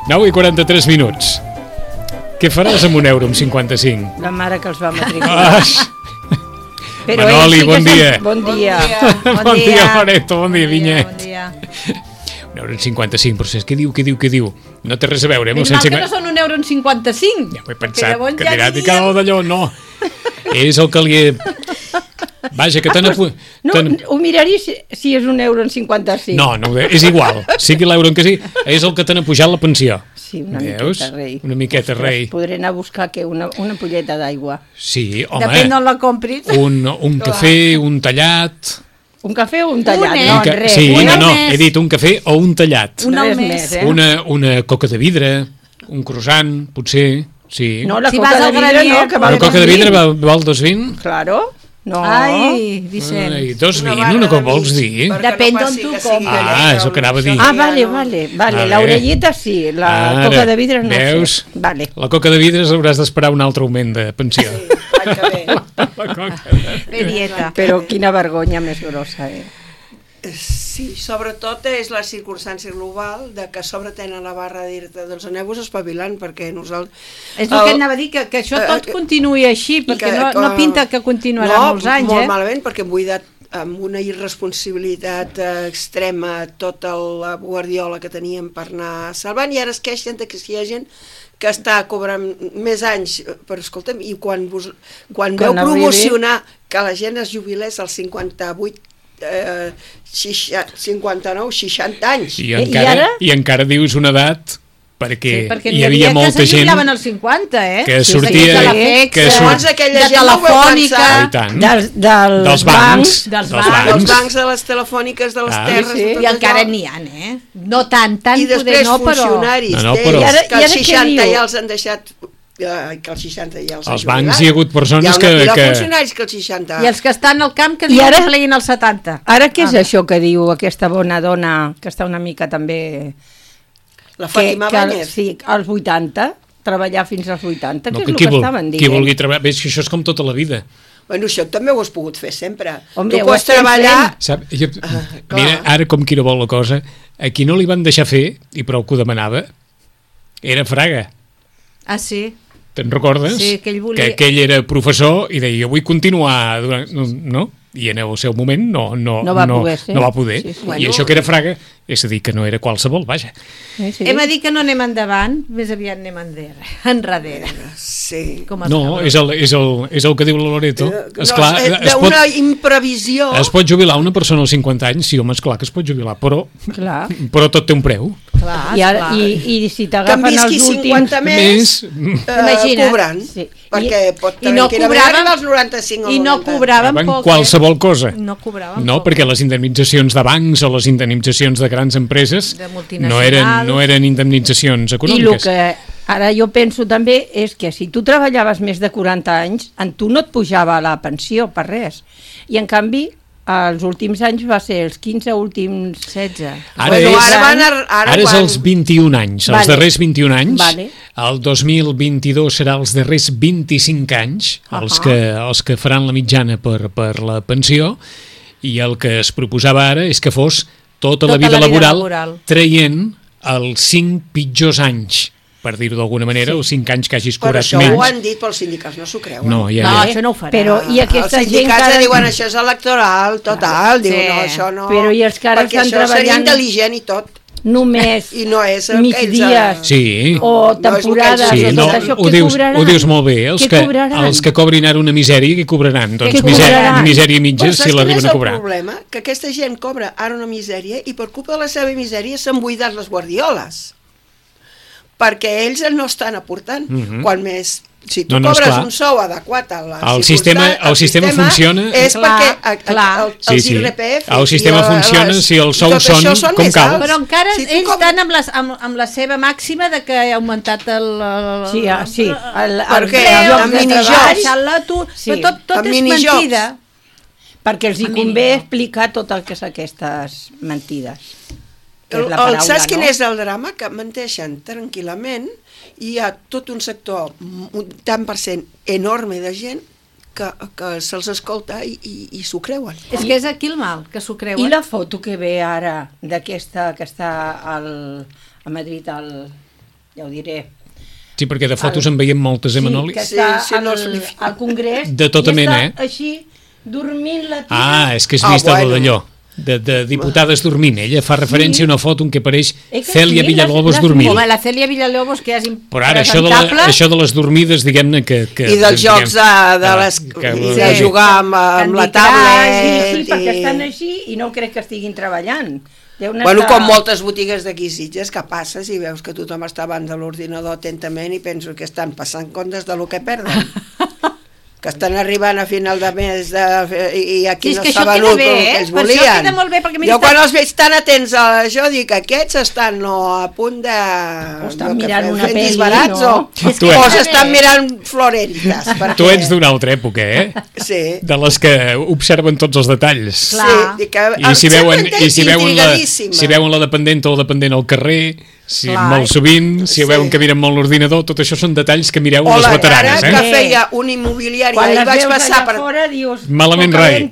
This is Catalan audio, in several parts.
9 i 43 minuts. Què faràs amb €1,55? La mare que els va matricular. Manoli, bon dia. Bon dia. Bon dia, Loreto, bon dia, Vinyet. Bon dia. €1,55, però què diu? No té res a veure. Més mal que no són €1,55. Ja ho he pensat, que dirà que cada d'allò, no. És el que li he... Vaja, que no, ho miraria si és €1,55. No, és igual. Sigui l'euro en què sigui, és el que t'han pujat la pensió. Sí, una miqueta, rei. Una miqueta, rei. Podré anar a buscar una ampolleta d'aigua. Sí, home. Depèn d'on la compris. Un cafè, un tallat... Un cafè o un tallat? No, res. Sí, no, he dit un cafè o un tallat. Un al Res mes. més, Una coca de vidre, un croissant, potser, sí. No, la Si coca vas de al vidre granier, no, que Una val coca de vidre 2,20. val 2,20? Claro. No. Ai, Vicent. Ai, 2,20, una cosa vols dir? Depèn d'on tu compres. És el que anava a dir. Ah, vale. L'orellita sí, la coca de vidre no veus? sé. Vale. La coca de vidre hauràs d'esperar un altre augment de pensió. La coca Bé, dieta. Però quina vergonya més grossa, Sí, sobretot és la circumstància global de que a sobre tenen la barra de dir-te doncs aneu-vos espavilant perquè nosaltres... És el que anava a dir, que això tot continuï així, perquè no pinta que continuarà molts anys, molt malament, perquè hem buidat amb una irresponsabilitat extrema tota la guardiola que teníem per anar salvant, i ara es queixen de que si hi ha gent que està cobrant més anys, però escolta'm, i quan veu promocionar que la gent es jubilés als 58 59, 60 anys. I encara dius una edat perquè hi havia molta gent que se jubilaven als 50, que sortia segons aquella gent no ho veu pensar dels bancs dels bancs de les telefòniques de les terres i encara n'hi ha, no tant i després funcionaris que als 60 ja els han deixat que als 60 ja els als bancs hi ha hagut persones que... Hi ha funcionaris que als 60... I els que estan al camp que diuen que pleguin als 70. Ara què és això que diu aquesta bona dona, que està una mica també... La Fàtima Báñez. Sí, als 80, treballar fins als 80, que és el que estaven dient. Qui vulgui treballar... Ves que això és com tota la vida. Bueno, això també ho has pogut fer sempre. Hombre, tu pots treballar... Mira, ara com qui no vol la cosa, a qui no li van deixar fer, i prou que ho demanava, era Fraga. Ah, sí? Te'n recordes? Sí, que ell volia... Que aquell era professor i deia, jo vull continuar, no? I en el seu moment no va poder. Sí. I això que era Fraga, és a dir, que no era qualsevol, vaja. Sí. Hem de dir que no anem endavant, més aviat anem enrere. Sí. No, és el que diu la Loreto. D'una imprevisió. Es pot jubilar una persona als 50 anys, sí, home, esclar que es pot jubilar, però tot té un preu. I si t'agafen els últims... Que més cobrant. Perquè pot tranquil·lament als 95 o 90. I no cobraven poc. Qualsevol cosa. No, perquè les indemnitzacions de bancs o les indemnitzacions de grans empreses no eren indemnitzacions econòmiques. I el que ara jo penso també és que si tu treballaves més de 40 anys, en tu no et pujava la pensió per res. I en canvi, els últims anys va ser els 15 últims 16. Ara és els 21 anys, els darrers 21 anys. El 2022 serà els darrers 25 anys, els que faran la mitjana per la pensió, i el que es proposava ara és que fos tota la vida laboral traient els 5 pitjors anys. per dir-ho d'alguna manera, els 5 anys que hagis cobrat menys. Però això ho han dit, però els sindicats no s'ho creuen. No, això no ho farà. Però i aquesta els sindicats diuen això és electoral, total, diuen no, això no... Però i els que ara estan treballant... Perquè això seria intel·ligent i tot. Només i no és migdies o temporades sí, o tot això, ho dius molt bé, els que cobrin ara una misèria, què cobraran? Doncs misèria mitja, si l'arriben a cobrar. El problema que aquesta gent cobra ara una misèria i per culpa de la seva misèria s'han buidat les guardioles, perquè ells no estan aportant. Quan més, si tu cobres un sou adequat a la el sistema funciona, és perquè els IRPF el sistema funciona si els sous són com cal. Però encara ells estan amb la seva màxima de que ha augmentat el preu, el minijobs, però tot és mentida. Perquè els hi convé explicar tot el que és aquestes mentides. Saps quin és el drama? Que menteixen tranquil·lament i hi ha tot un sector, un tant per cent enorme de gent que se'ls escolta i s'ho creuen. És que és aquí el mal, que s'ho creuen. I la foto que ve ara d'aquesta que està a Madrid, ja ho diré... Sí, perquè de fotos en veiem moltes, Manoli? Sí, que està al Congrés. De tota mena, i està així, dormint la tia. És que has vist d'allò. De diputades dormint. Ella fa referència a una foto en què apareix Cèlia Villalobos dormint. Home, la Cèlia Villalobos, que és impresentable. Però ara, això de les dormides, diguem-ne que... I dels jocs de jugar amb la tablet... Sí, perquè estan així i no crec que estiguin treballant. Bueno, com moltes botigues d'aquí Sitges, que passes i veus que tothom està davant de l'ordinador atentament i penso que estan passant comptes de lo que perden. Que estan arribant a final de mes i aquí no s'ha venut el que ells volien. Això queda molt bé, perquè jo quan els veig tan atents a això dic que aquests estan a punt de... O estan mirant una pel·li, no? O s'estan mirant Florentitas. Tu ets d'una altra època, Sí. De les que observen tots els detalls. Sí. I si veuen la dependenta o el dependent al carrer... molt sovint, si veuen que miren molt l'ordinador, tot això són detalls que mireu les veteranes. O la cara que feia un immobiliari, quan les veus allà fora dius... Malament rai.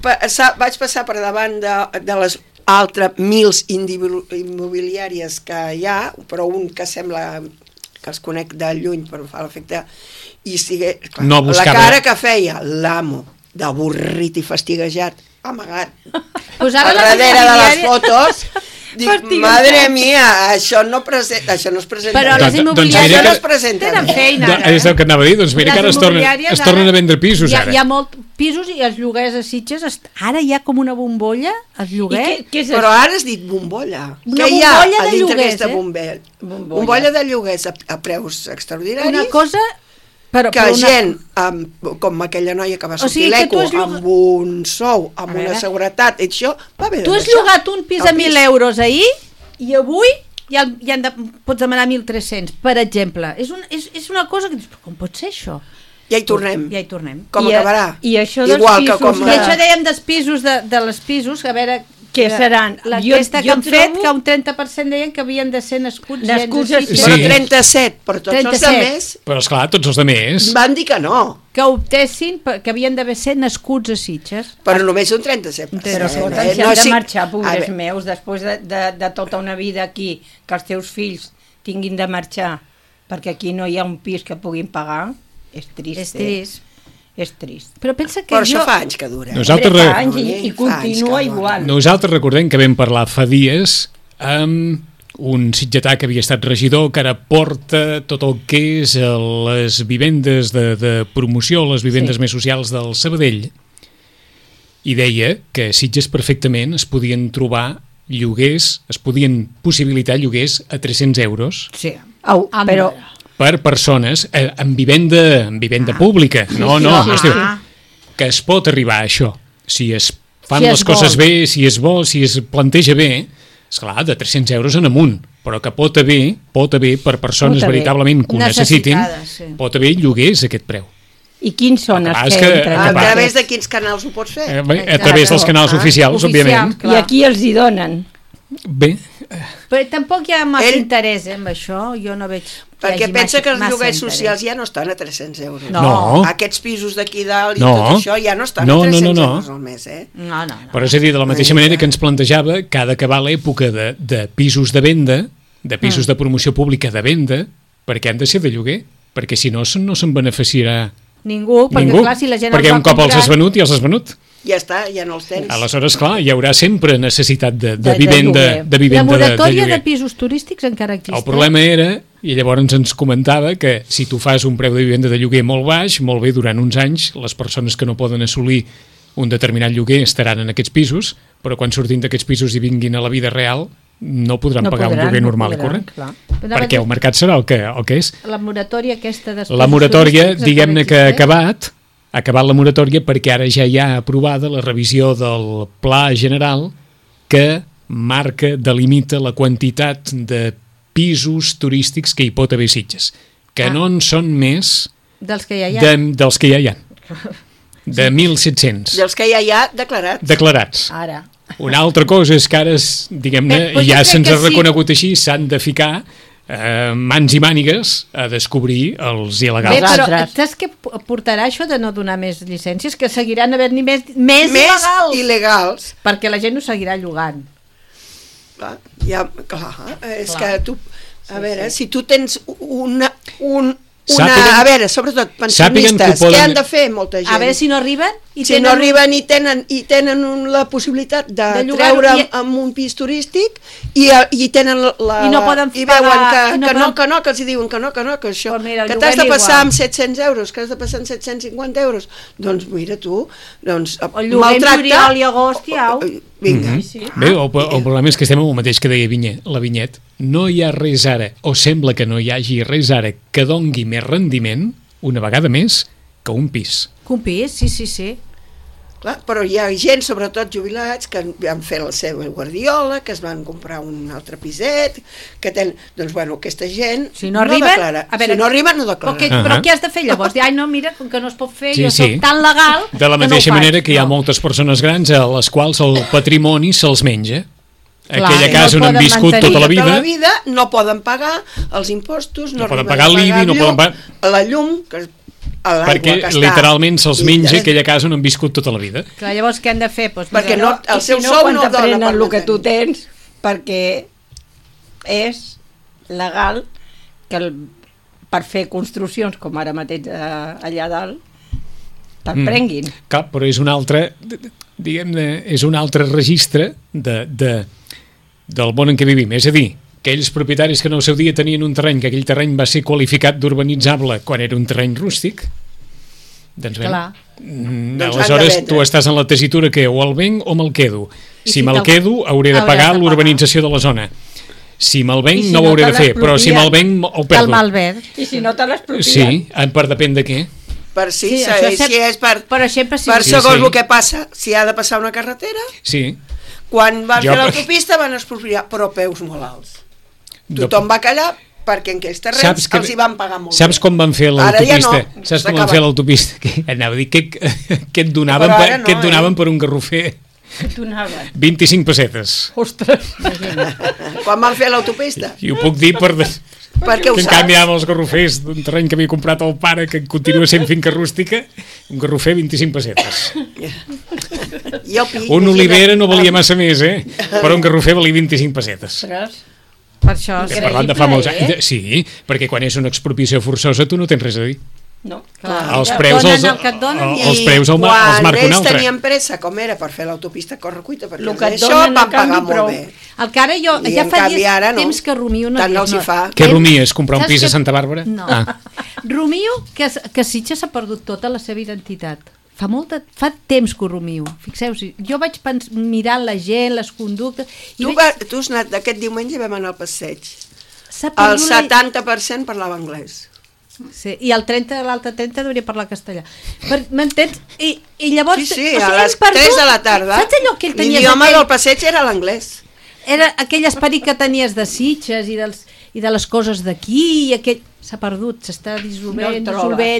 Vaig passar per davant de les altres 1.000 immobiliàries que hi ha, però un que sembla que els conec de lluny per fer l'efecte, i la cara que feia l'amo, d'avorrit i fastiguejat, amagat, darrere de les fotos... Dic, madre mia, això no es presenta. Però les immobiliàries no es presenten. Tenen feina. És el que anava a dir, doncs mira que ara es tornen a vendre pisos. Hi ha molts pisos i els lloguers a Sitges, ara hi ha com una bombolla, els lloguers. Però ara has dit bombolla. Què hi ha a dintre d'aquesta bombolla? Bombolla de lloguers a preus extraordinaris. Una cosa... gent, com aquella noia que va sortir l'ECO, amb un sou, amb una seguretat, això va bé. Tu has llogat un pis a 1.000 euros ahir i avui ja pots demanar 1.300, per exemple. És una cosa que dius, com pot ser això? Ja hi tornem. Com acabarà? I això dels pisos... I això dèiem dels pisos, de les pisos, a veure... Què seran? L'enquesta que han fet, que un 30% deien que havien de ser nascuts a Sitges. Però 37, però tots els altres... Però esclar, tots els altres... Van dir que no. Que optessin, que havien d'haver ser nascuts a Sitges. Però només un 37%. Però escolta, si han de marxar, pobres meus, després de tota una vida aquí, que els teus fills tinguin de marxar, perquè aquí no hi ha un pis que puguin pagar, és trist. És trist. És trist. Però pensa que però això fa anys que dura. I continua igual. Nosaltres recordem que vam parlar fa dies amb un sitgetà que havia estat regidor, que ara porta tot el que és les vivendes de promoció, les vivendes més socials del Sabadell, i deia que a Sitges perfectament es podien trobar lloguers, es podien possibilitar lloguers a 300 euros. Sí, però... per persones en vivenda pública. No, es diu que es pot arribar a això. Si es fan les coses bé, si és bo, si es planteja bé, esclar, de 300 euros en amunt, però que pot haver per persones veritablement que ho necessitin, pot haver lloguers a aquest preu. I quins són els que entren? A través de quins canals ho pots fer? A través dels canals oficials, òbviament. I aquí els hi donen. Bé. Però tampoc hi ha massa interès amb això, jo no veig... Perquè pensa que els lloguers socials ja no estan a 300 euros. No. Aquests pisos d'aquí dalt i tot això ja no estan a 300 euros al mes, No. Però és a dir, de la mateixa manera que ens plantejava que ha d'acabar l'època de pisos de venda, de pisos de promoció pública de venda, perquè han de ser de lloguer, perquè si no se'n beneficiarà Ningú, perquè clar, si la gent perquè un cop els has venut, ja els has venut. Ja està, ja no els tens. Aleshores, clar, hi haurà sempre necessitat de vivenda de lloguer. La moratòria de pisos turístics encara existeix. El problema era, i llavors ens comentava, que si tu fas un preu de vivenda de lloguer molt baix, molt bé, durant uns anys, les persones que no poden assolir un determinat lloguer estaran en aquests pisos, però quan surtin d'aquests pisos i vinguin a la vida real, no podran pagar un lloguer normal i corrent. Perquè el mercat serà el que és. La moratòria aquesta... La moratòria, diguem-ne que ha acabat la moratòria perquè ara ja hi ha aprovada la revisió del Pla General que marca, delimita la quantitat de pisos turístics que hi pot haver Sitges, que no en són més dels que ja hi ha. Dels que ja hi ha. De 1.700. Dels que ja hi ha declarats. Declarats. Ara. Una altra cosa és que ara, diguem-ne, ja se'ns ha reconegut així, s'han de ficar mans i mànigues a descobrir els il·legals. Bé, però saps què portarà això de no donar més llicències? Que seguiran havent-n'hi més il·legals. Perquè la gent ho seguirà llogant. Clar, és que tu... A veure, si tu tens a veure, sobretot pensionistes, què han de fer molta gent? A veure si no arriben i tenen la possibilitat de treure amb un pis turístic i tenen i no poden i veuen que els diuen que això, que t'has de passar amb 700 euros, que has de passar amb 750 euros, doncs mira tu, el lloguer en juliol i agost i au. Vinga. Bé, el problema és que estem amb el mateix que deia la Vinyet. No hi ha res ara, o sembla que no hi hagi res ara que dongui més rendiment, una vegada més, que un pis. Que un pis, sí. Clar, però hi ha gent, sobretot jubilats, que han fet la seva guardiola, que es van comprar un altre piset, que tenen... Doncs, bueno, aquesta gent no declara. Si no arriben, no declara. Però què has de fer llavors? Ai, no, mira, com que no es pot fer, jo soc tan legal... De la mateixa manera que hi ha moltes persones grans a les quals el patrimoni se'ls menja. Aquella casa on han viscut tota la vida... No poden pagar els impostos, no poden pagar l'IBI, no poden pagar... La llum, que perquè literalment se'ls menja aquella casa on han viscut tota la vida. Clar, llavors què han de fer? Perquè el seu sou no dona per el que tu tens, perquè és legal que per fer construccions com ara mateix allà dalt te'n prenguin. Clar, però és un altre, diguem-ne, és un altre registre del món en què vivim. És a dir, aquells propietaris que en el seu dia tenien un terreny, que aquell terreny va ser qualificat d'urbanitzable quan era un terreny rústic, doncs bé, aleshores tu estàs en la tessitura que o el venc o me'l quedo. Si me'l quedo hauré de pagar l'urbanització de la zona. Si me'l venc no ho hauré de fer, però si me'l venc ho perdo. I si no te l'expropien? Sí, per depèn de què. Si és per segons el que passa, si ha de passar una carretera, quan van fer l'autopista van expropiar, però peus molt alts. Tothom va callar perquè en aquells terrenys els hi van pagar molt. Saps com van fer l'autopista? Saps com van fer l'autopista? Anava a dir, què et donaven per un garrofer? 25 pessetes. Ostres! Quan van fer l'autopista? I ho puc dir perquè en canvi amb els garrofers d'un terreny que havia comprat el pare, que continua sent finca rústica, un garrofer 25 pessetes. Un olivera no valia massa més, però un garrofer valia 25 pessetes. Per això parlant de fa molts anys. Sí, perquè quan és una expropiació forçosa tu no tens res a dir. No, els preus els marca un altre. Quan ells tenien pressa, com era per fer l'autopista correcuita, perquè això van pagar molt bé. El que ara jo, ja fa temps que rumio una cosa. Què rumies? Comprar un pis a Santa Bàrbara? No. Rumio que Sitges ha perdut tota la seva identitat. Fa temps que ho rumio. Fixeu-vos, jo vaig mirar la gent, les conductes... Tu has anat, aquest diumenge vam anar al passeig. El 70% parlava anglès. Sí, i l'altre 30 hauria parlar castellà. M'entens? I llavors... Sí, a les 3 de la tarda l'idioma del passeig era l'anglès. Era aquell esperit que tenies de Sitges i de les coses d'aquí, s'ha perdut, s'està dissolvent,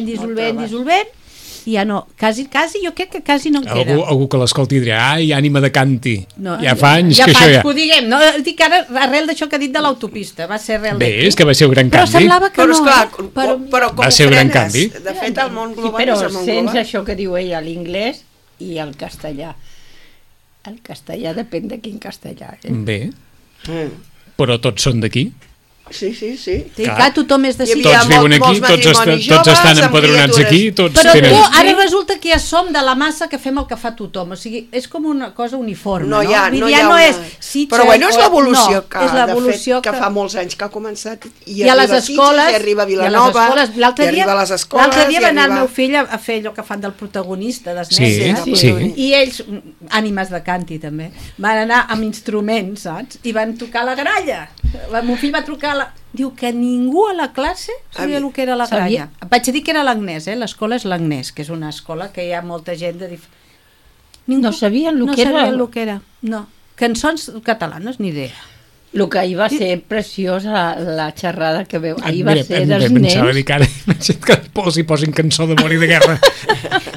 i ja no, quasi jo crec que quasi no en queda. Algú que l'escolti dirà, ai, ànima de canti, ja fa anys que això ja... que ho diguem, no? Dic ara, arrel d'això que ha dit de l'autopista, va ser arrel d'aquí. Bé, és que va ser un gran canvi. Però semblava que no. Però com va ser un gran canvi. De fet, el món global és el món global. Però sents això que diu ella, l'inglès i el castellà. El castellà depèn de quin castellà. Bé, però tots són d'aquí. Sí. Clar, tothom és de sí. Tots viuen aquí, tots estan empadronats aquí, tots però tenen... ara resulta que ja som de la massa que fem el que fa tothom, o sigui, és com una cosa uniforme, no? Ja no és Sitges, però bueno, és l'evolució que fa molts anys que ha començat i arriba a Sitges, i arriba a Vilanova, i arriba a les escoles. L'altre dia va anar el meu fill a fer allò que fan del protagonista, i ells, ànimes de canti també, van anar amb instruments, saps? I van tocar la gralla. El meu fill va trucar diu que ningú a la classe sabia el que era la gralla. Vaig dir que era l'Agnès, l'escola és l'Agnès, que és una escola que hi ha molta gent de no sabien el que era. No, cançons catalanes, ni idea. El que ahir va ser preciosa, la xerrada que veu, ahir va ser dels nens. Pensava dir que ara que posin cançó d'amor i de guerra.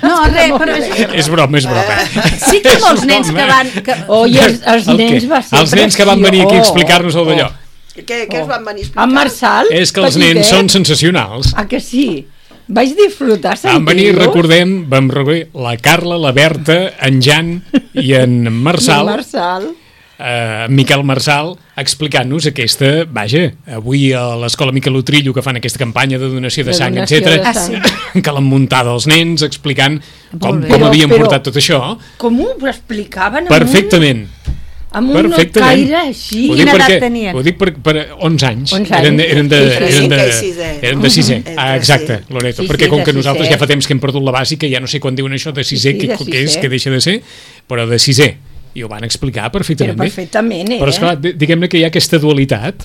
No, res, però... És broma. Sí que molts nens que van... Els nens va ser preciós. Els nens que van venir aquí a explicar-nos el d'allò. Què es van venir a explicar? En Marçal? És que els nens són sensacionals. Ah, que sí? Vaig disfrutar sentir-los. Vam venir, recordem, vam reunir la Carla, la Berta, en Jan i en Marçal. Miquel Marçal, explicant-nos aquesta, avui a l'escola Miquel Utrillo, que fan aquesta campanya de donació de sang, etc, que l'han muntada els nens, explicant com havien portat tot això. Com ho explicaven? Perfectament. Amb un caire així. Quina edat tenien? Ho dic per 11 anys. Eren de sisè. Exacte, Loreto. Perquè com que nosaltres ja fa temps que hem perdut la bàsica, ja no sé quan diuen això de sisè, què és, que deixa de ser, però de sisè. I ho van explicar perfectament bé. Però esclar, diguem-ne que hi ha aquesta dualitat.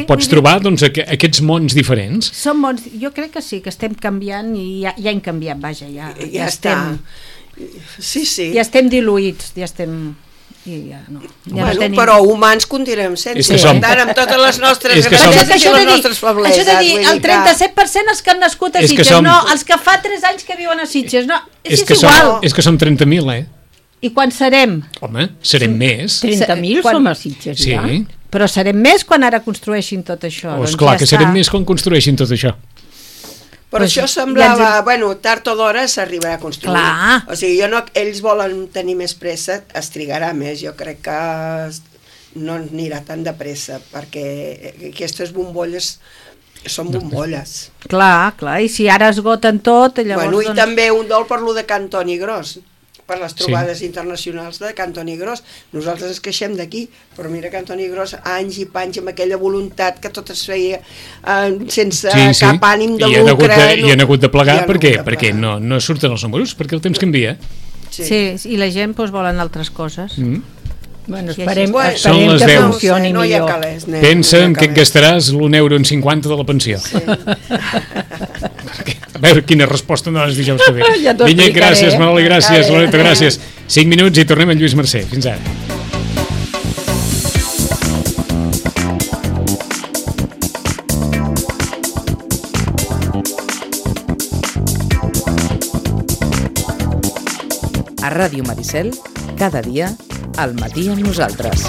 Pots trobar aquests mons diferents. Són mons, jo crec que sí, que estem canviant i ja hem canviat, ja estem... Sí. Ja estem diluïts, ja estem... Però humans continuem sense, amb totes les nostres gràcies i les nostres febleses. Això de dir, el 37% els que han nascut a Sitges, no, els que fa 3 anys que viuen a Sitges, no, és igual. És que som 30.000, I quan serem? Home, serem més. 30.000 som a Sitges, ja. Però serem més quan ara construeixin tot això. Clar que serem més quan construeixin tot això. Però això semblava, tard o d'hora s'arribarà a construir. Clar. O sigui, ells volen tenir més pressa, es trigarà més, jo crec que no anirà tan de pressa, perquè aquestes bombolles són bombolles. Clar, i si ara esgoten tot, llavors... I també un dol per lo de Can Toni Gros, per les trobades internacionals de Can Toni Gros. Nosaltres ens queixem d'aquí, però mira Can Toni Gros, anys i panys amb aquella voluntat que tot es feia sense cap ànim de lucre. I han hagut de plegar perquè no surten els números, perquè el temps canvia. Sí, i la gent volen altres coses. Esperem que funcioni millor. Pensa en què et gastaràs l'1,50 € de la pensió. A veure quina resposta no les dijous que ve. Vinyet, gràcies, Manoli, gràcies, Loreto, gràcies. 5 minuts i tornem amb Lluís Mercè. Fins ara. A Ràdio Maricel, cada dia, al matí amb nosaltres.